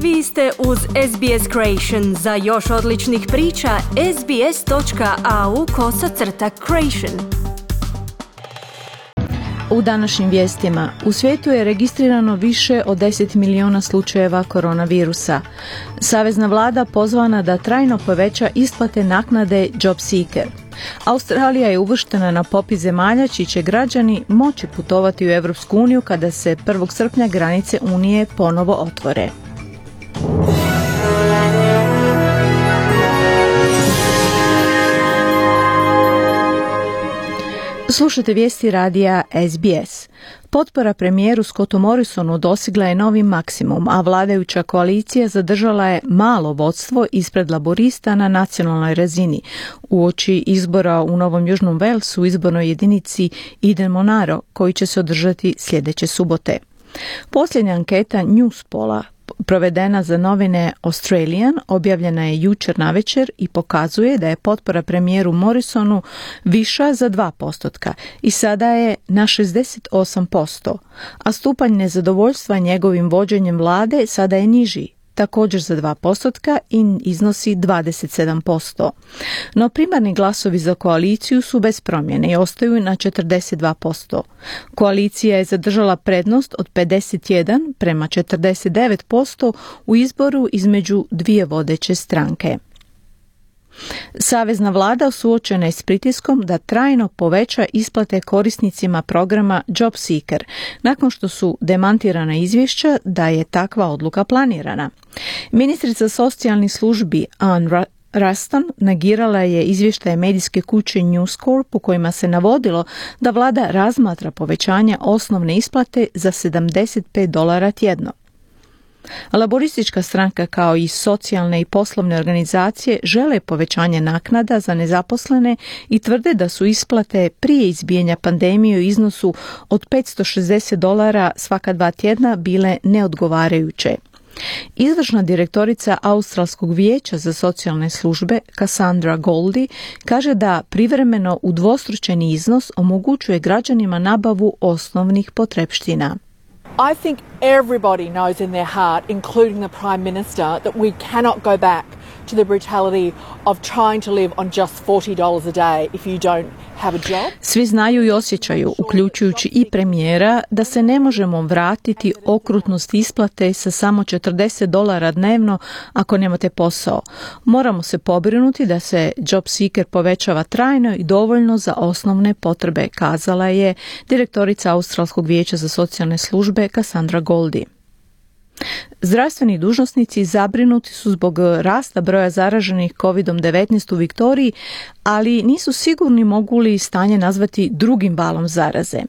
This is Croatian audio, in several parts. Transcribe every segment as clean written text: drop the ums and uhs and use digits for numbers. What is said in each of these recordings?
Vi ste uz SBS Creation. Za još odličnih priča, sbs.au/creation. U današnjim vijestima, u svijetu je registrirano više od 10 miliona slučajeva koronavirusa. Savezna vlada pozvana da trajno poveća isplate naknade Job Seeker. Australija je uvrštena na popis zemalja čiji će građani moći putovati u Europsku uniju kada se 1. srpnja granice Unije ponovo otvore. Slušate vijesti radija SBS. Potpora premijeru Scottu Morrisonu dosigla je novi maksimum, a vladajuća koalicija zadržala je malo vodstvo ispred laborista na nacionalnoj razini. Uoči izbora u Novom Južnom Walesu u izbornoj jedinici Eden Monaro, koji će se održati sljedeće subote. Posljednja anketa Newspolla provedena za novine Australian objavljena je jučer navečer i pokazuje da je potpora premijeru Morrisonu viša za 2% i sada je na 68%, a stupanj nezadovoljstva njegovim vođenjem vlade sada je niži, također za 2% i iznosi 27%. No primarni glasovi za koaliciju su bez promjene i ostaju na 42%. Koalicija je zadržala prednost od 51 prema 49% u izboru između dvije vodeće stranke. Savezna vlada suočena je s pritiskom da trajno poveća isplate korisnicima programa Job Seeker, nakon što su demantirana izvješća da je takva odluka planirana. Ministrica socijalnih službi Anne Ruston negirala je izvještaje medijske kuće News Corp u kojima se navodilo da vlada razmatra povećanje osnovne isplate za $75 tjedno. Laboristička stranka kao i socijalne i poslovne organizacije žele povećanje naknada za nezaposlene i tvrde da su isplate prije izbijanja pandemije u iznosu od $560 svaka 2 tjedna bile neodgovarajuće. Izvršna direktorica Australskog vijeća za socijalne službe Cassandra Goldie kaže da privremeno udvostručeni iznos omogućuje građanima nabavu osnovnih potrepština. I think everybody knows in their heart, including the Prime Minister, that we cannot go back to the brutality of trying to live on just $40 a day if you don't have a job. Svi znaju i osjećaju, uključujući i premijera, da se ne možemo vratiti okrutnost isplate sa samo $40 dnevno ako nemate posao. Moramo se pobrinuti da se Job Seeker povećava trajno i dovoljno za osnovne potrebe, kazala je direktorica Australskog vijeća za socijalne službe Cassandra Goldie. Zdravstveni dužnosnici zabrinuti su zbog rasta broja zaraženih COVID-19 u Viktoriji, ali nisu sigurni mogu li stanje nazvati drugim valom zaraze.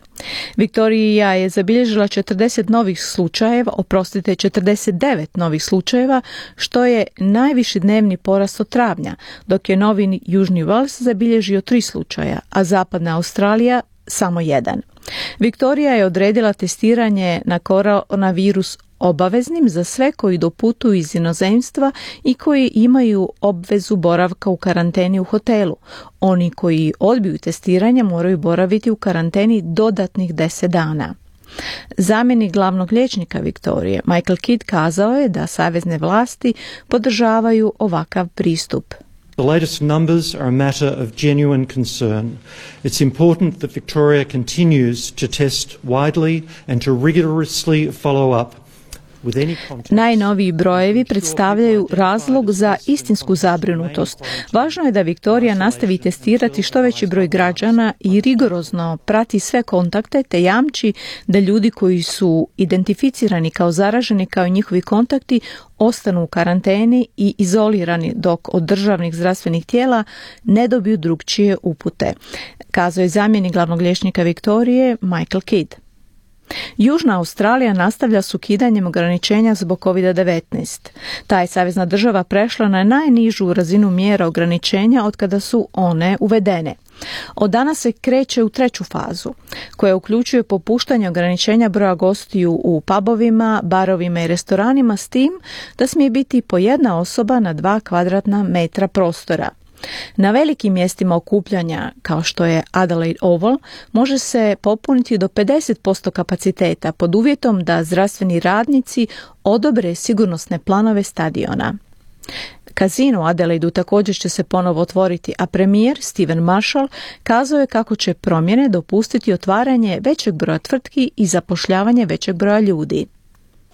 Viktorija je zabilježila 49 novih slučajeva, što je najviši dnevni porast od travnja, dok je Novi Južni Wales zabilježio 3 slučaja, a Zapadna Australija samo 1. Viktorija je odredila testiranje na koronavirus obaveznim za sve koji doputuju iz inozemstva i koji imaju obvezu boravka u karanteni u hotelu. Oni koji odbiju testiranje moraju boraviti u karanteni dodatnih 10 dana. Zamjenik glavnog liječnika Viktorije, Michael Kidd, kazao je da savezne vlasti podržavaju ovakav pristup. The latest numbers are a matter of genuine concern. It's important that Victoria continues to test widely and to rigorously follow up. Najnoviji brojevi predstavljaju razlog za istinsku zabrinutost. Važno je da Viktorija nastavi testirati što veći broj građana i rigorozno prati sve kontakte te jamči da ljudi koji su identificirani kao zaraženi kao i njihovi kontakti ostanu u karanteni i izolirani dok od državnih zdravstvenih tijela ne dobiju drugčije upute, kazao je zamjenik glavnog liječnika Viktorije Michael Kidd. Južna Australija nastavlja s ukidanjem ograničenja zbog COVID-19. Ta je savezna država prešla na najnižu razinu mjera ograničenja od kada su one uvedene. Od danas se kreće u 3. fazu, koja uključuje popuštanje ograničenja broja gostiju u pubovima, barovima i restoranima s tim da smije biti po jedna osoba na 2 kvadratna metra prostora. Na velikim mjestima okupljanja, kao što je Adelaide Oval, može se popuniti do 50% kapaciteta pod uvjetom da zdravstveni radnici odobre sigurnosne planove stadiona. Kazino u Adelaidu također će se ponovo otvoriti, a premijer Stephen Marshall kazao je kako će promjene dopustiti otvaranje većeg broja tvrtki i zapošljavanje većeg broja ljudi.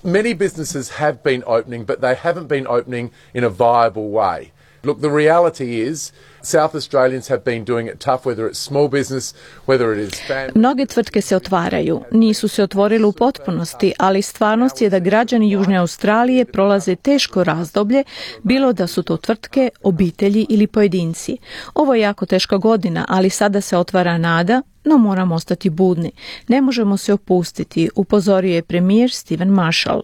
Many businesses have been opening, but they haven't been opening in a viable way. Look, the reality is South Australians have been doing it tough, whether it's small business, whether it is family. Mnoge tvrtke se otvaraju, nisu se otvorile u potpunosti, ali stvarnost je da građani Južne Australije prolaze teško razdoblje, bilo da su to tvrtke, obitelji ili pojedinci. Ovo je jako teška godina, ali sada se otvara nada, no moramo ostati budni. Ne možemo se opustiti, upozorio je premijer Stephen Marshall.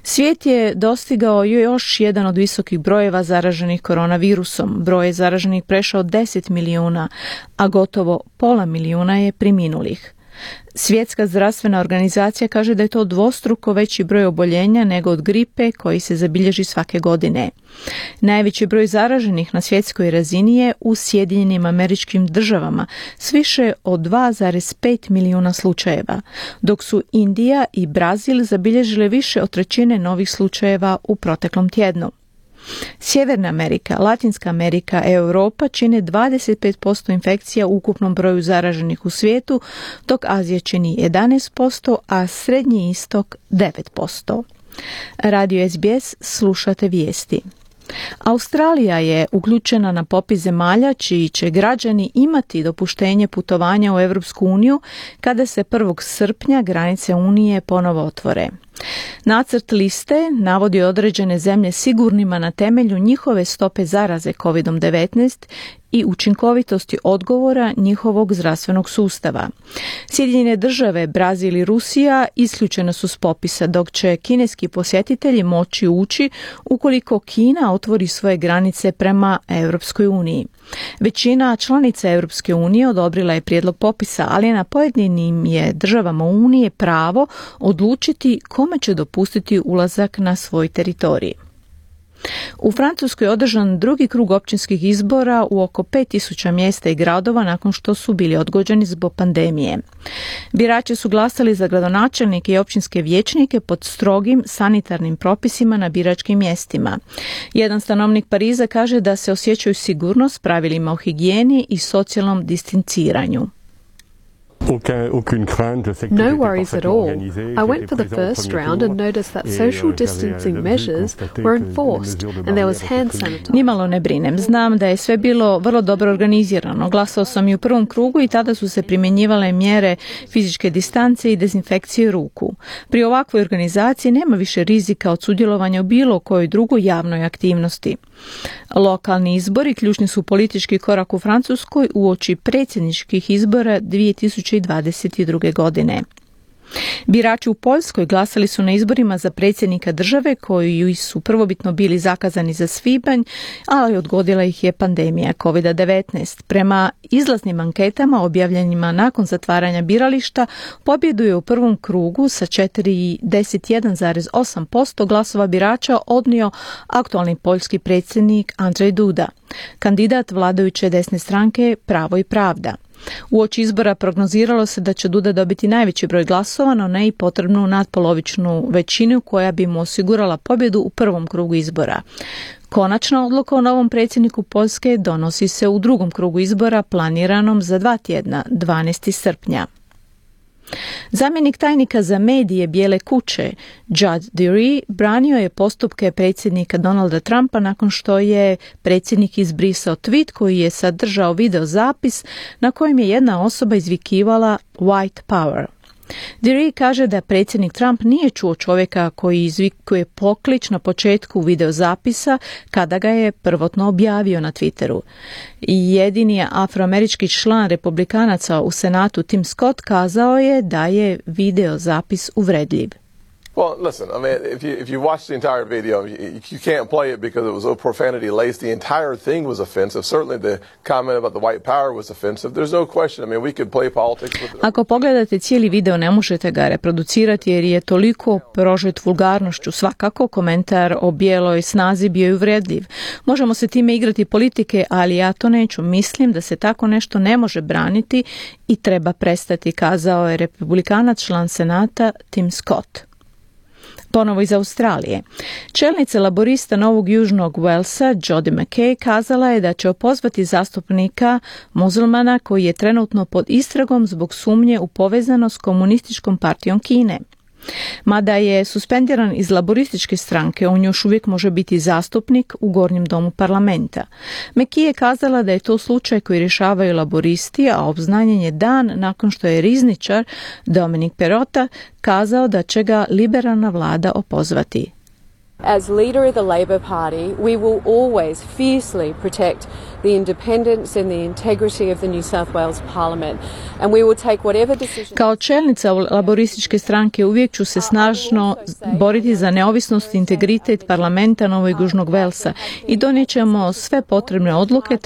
Svijet je dostigao još jedan od visokih brojeva zaraženih koronavirusom. Broj je zaraženih prešao 10 milijuna, a gotovo pola milijuna je preminulih. Svjetska zdravstvena organizacija kaže da je to dvostruko veći broj oboljenja nego od gripe koji se zabilježi svake godine. Najveći broj zaraženih na svjetskoj razini je u Sjedinjenim Američkim Državama s više od 2,5 milijuna slučajeva, dok su Indija i Brazil zabilježile više od trećine novih slučajeva u proteklom tjednu. Sjeverna Amerika, Latinska Amerika i Europa čine 25% infekcija u ukupnom broju zaraženih u svijetu, dok Azija čini 11%, a Srednji istok 9%. Radio SBS, slušate vijesti. Australija je uključena na popis zemalja čiji će građani imati dopuštenje putovanja u Europsku uniju kada se 1. srpnja granice Unije ponovo otvore. Nacrt liste navodi određene zemlje sigurnima na temelju njihove stope zaraze COVID-19 i učinkovitosti odgovora njihovog zdravstvenog sustava. Sjedinjene Države, Brazil i Rusija isključene su s popisa, dok će kineski posjetitelji moći ući ukoliko Kina otvori svoje granice prema Europskoj uniji. Većina članica Europske unije odobrila je prijedlog popisa, ali na pojedinim je državama Unije pravo odlučiti kome će dopustiti ulazak na svoj teritorij. U Francuskoj je održan drugi krug općinskih izbora u oko 5000 mjesta i gradova nakon što su bili odgođeni zbog pandemije. Birači su glasali za gradonačelnike i općinske vijećnike pod strogim sanitarnim propisima na biračkim mjestima. Jedan stanovnik Pariza kaže da se osjećaju sigurno s pravilima o higijeni i socijalnom distanciranju. No worries at all. I went for the first round and noticed that social distancing measures were enforced and there was hand sanitizer. Nimalo ne brinem. Znam da je sve bilo vrlo dobro organizirano. Glasao sam i u prvom krugu i tada su se primjenjivale mjere fizičke distance i dezinfekcije ruku. Pri ovakvoj organizaciji nema više rizika od sudjelovanja u bilo kojoj drugoj javnoj aktivnosti. Lokalni izbori ključni su politički korak u Francuskoj uoči predsjedničkih izbora 2022. godine. Birači u Poljskoj glasali su na izborima za predsjednika države koji su prvobitno bili zakazani za svibanj, ali odgodila ih je pandemija COVID-19. Prema izlaznim anketama objavljenima nakon zatvaranja birališta, pobjedu je u prvom krugu sa 41,8% glasova birača odnio aktualni poljski predsjednik Andrzej Duda, kandidat vladajuće desne stranke Pravo i pravda. Uoči izbora prognoziralo se da će Duda dobiti najveći broj glasova, no ne i potrebnu nadpolovičnu većinu koja bi mu osigurala pobjedu u prvom krugu izbora. Konačna odluka o novom predsjedniku Poljske donosi se u drugom krugu izbora planiranom za 2 tjedna, 12. srpnja. Zamjenik tajnika za medije Bijele kuće, Judd Deary, branio je postupke predsjednika Donalda Trumpa nakon što je predsjednik izbrisao tweet koji je sadržao video zapis na kojem je jedna osoba izvikivala White Power. Deary kaže da predsjednik Trump nije čuo čovjeka koji izvikuje poklič na početku videozapisa kada ga je prvotno objavio na Twitteru. Jedini afroamerički član republikanaca u Senatu Tim Scott kazao je da je videozapis uvredljiv. Well, listen, I mean, if you watch the entire video, you can't play it because it was so profanity laced. The entire thing was offensive. Certainly the comment about the white power was offensive. There's no question. I mean, we could play politics with it. Ako pogledate cijeli video, ne možete ga reproducirati jer je toliko prožet vulgarnošću. Svakako, komentar o bijeloj snazi bio je uvredljiv. Možemo se time igrati politike, ali ja to neću. Mislim da se tako nešto ne može braniti i treba prestati, kazao je republikanac član Senata Tim Scott. Ponovo iz Australije. Čelnica laborista Novog Južnog Walesa, Jodi McKay, kazala je da će opozvati zastupnika muzulmana koji je trenutno pod istragom zbog sumnje u povezanost s komunističkom partijom Kine. Mada je suspendiran iz laborističke stranke, on još uvijek može biti zastupnik u gornjem domu parlamenta. McKay je kazala da je to slučaj koji rješavaju laboristi, a obznanjen je dan nakon što je rizničar Dominic Perrottet kazao da će ga liberalna vlada opozvati. As leader of the Labor Party, we will always fiercely protect the independence and the integrity of the New South Wales Parliament, and we will take whatever decision. Kao čelnica laborističke stranke uvijek ću se snažno boriti za neovisnost i integritet parlamenta Novog Južnog Walesa i donijet ćemo sve potrebne odluke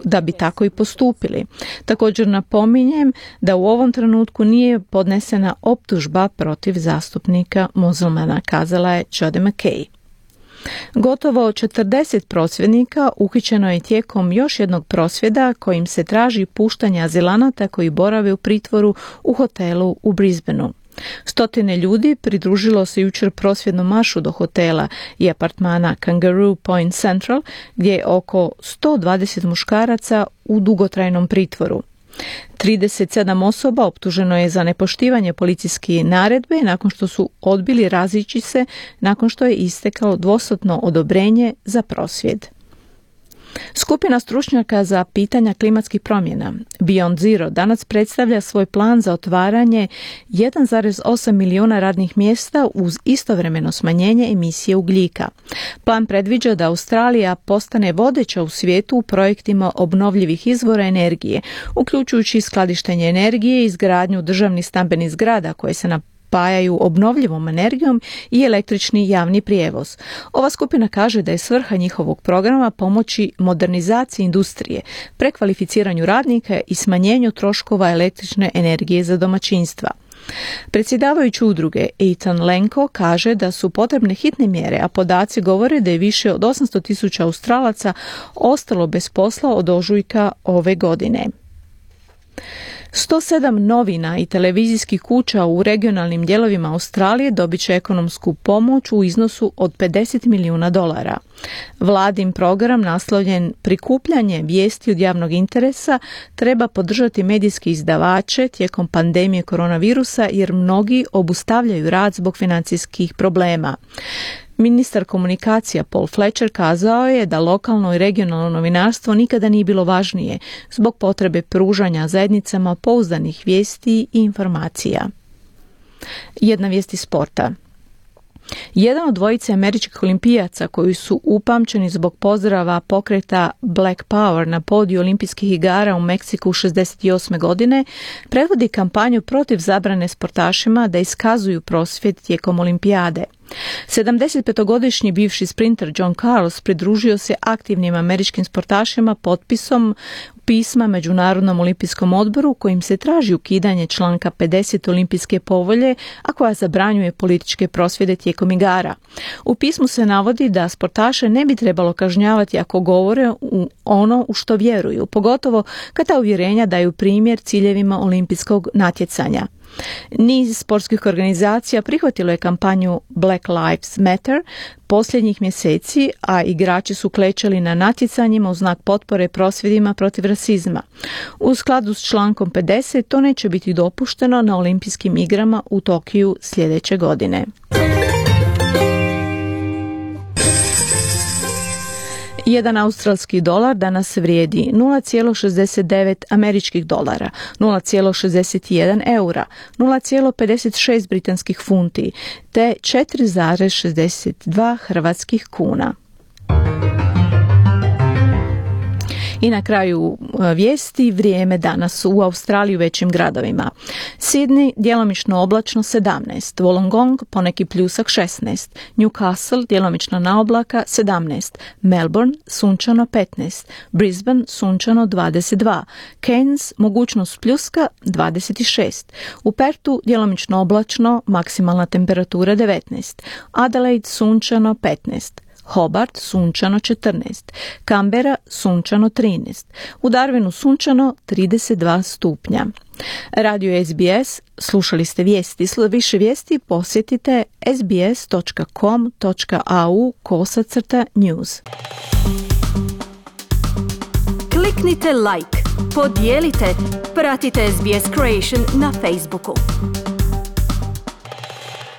da bi tako i postupili. Također napominjem da u ovom trenutku nije podnesena optužba protiv zastupnika muzulmana, kazala je Jodi McKay. Gotovo 40 prosvjednika uhićeno je tijekom još jednog prosvjeda kojim se traži puštanje azilanata koji borave u pritvoru u hotelu u Brisbaneu. Stotine ljudi pridružilo se jučer prosvjednom maršu do hotela i apartmana Kangaroo Point Central, gdje je oko 120 muškaraca u dugotrajnom pritvoru. 37 osoba optuženo je za nepoštivanje policijske naredbe nakon što su odbili razići se nakon što je isteklo dvosatno odobrenje za prosvjed. Skupina stručnjaka za pitanja klimatskih promjena Beyond Zero danas predstavlja svoj plan za otvaranje 1,8 milijuna radnih mjesta uz istovremeno smanjenje emisije ugljika. Plan predviđa da Australija postane vodeća u svijetu u projektima obnovljivih izvora energije, uključujući skladištenje energije i izgradnju državnih stambenih zgrada koje se napajaju obnovljivom energijom i električni javni prijevoz. Ova skupina kaže da je svrha njihovog programa pomoći modernizaciji industrije, prekvalificiranju radnika i smanjenju troškova električne energije za domaćinstva. Predsjedavajući udruge Ethan Lenko kaže da su potrebne hitne mjere, a podaci govore da je više od 800,000 Australaca ostalo bez posla od ožujka ove godine. 107 novina i televizijskih kuća u regionalnim dijelovima Australije dobit će ekonomsku pomoć u iznosu od $50 milijuna. Vladin program naslovljen Prikupljanje vijesti od javnog interesa treba podržati medijske izdavače tijekom pandemije koronavirusa jer mnogi obustavljaju rad zbog financijskih problema. Ministar komunikacija Paul Fletcher kazao je da lokalno i regionalno novinarstvo nikada nije bilo važnije zbog potrebe pružanja zajednicama pouzdanih vijesti i informacija. Jedna vijest iz sporta. Jedan od dvojice američkih olimpijaca koji su upamćeni zbog pozdrava pokreta Black Power na podiju olimpijskih igara u Meksiku 1968. godine predvodi kampanju protiv zabrane sportašima da iskazuju prosvjed tijekom olimpijade. 75-godišnji bivši sprinter John Carlos pridružio se aktivnim američkim sportašima potpisom pisma Međunarodnom olimpijskom odboru kojim se traži ukidanje članka 50 olimpijske povelje, a koja zabranjuje političke prosvjede tijekom igara. U pismu se navodi da sportaše ne bi trebalo kažnjavati ako govore ono u što vjeruju, pogotovo kad ta uvjerenja daju primjer ciljevima olimpijskog natjecanja. Niz sportskih organizacija prihvatilo je kampanju Black Lives Matter posljednjih mjeseci, a igrači su klečali na natjecanjima u znak potpore prosvjedima protiv rasizma. U skladu s člankom 50 to neće biti dopušteno na olimpijskim igrama u Tokiju sljedeće godine. Jedan australski dolar danas vrijedi 0,69 američkih dolara, 0,61 eura, 0,56 britanskih funti te 4,62 hrvatskih kuna. I na kraju vijesti, vrijeme danas u Australiji u većim gradovima. Sydney djelomično oblačno 17, Wollongong poneki pljusak 16, Newcastle djelomično na oblaka 17, Melbourne sunčano 15, Brisbane sunčano 22, Cairns mogućnost pljuska 26, u Perthu djelomično oblačno, maksimalna temperatura 19, Adelaide sunčano 15, Hobart sunčano 14, Canberra sunčano 13, u Darwinu sunčano 32 stupnja. Radio SBS, slušali ste vijesti. Više vijesti posjetite sbs.com.au/news. Kliknite like, podijelite, pratite SBS Creation na Facebooku.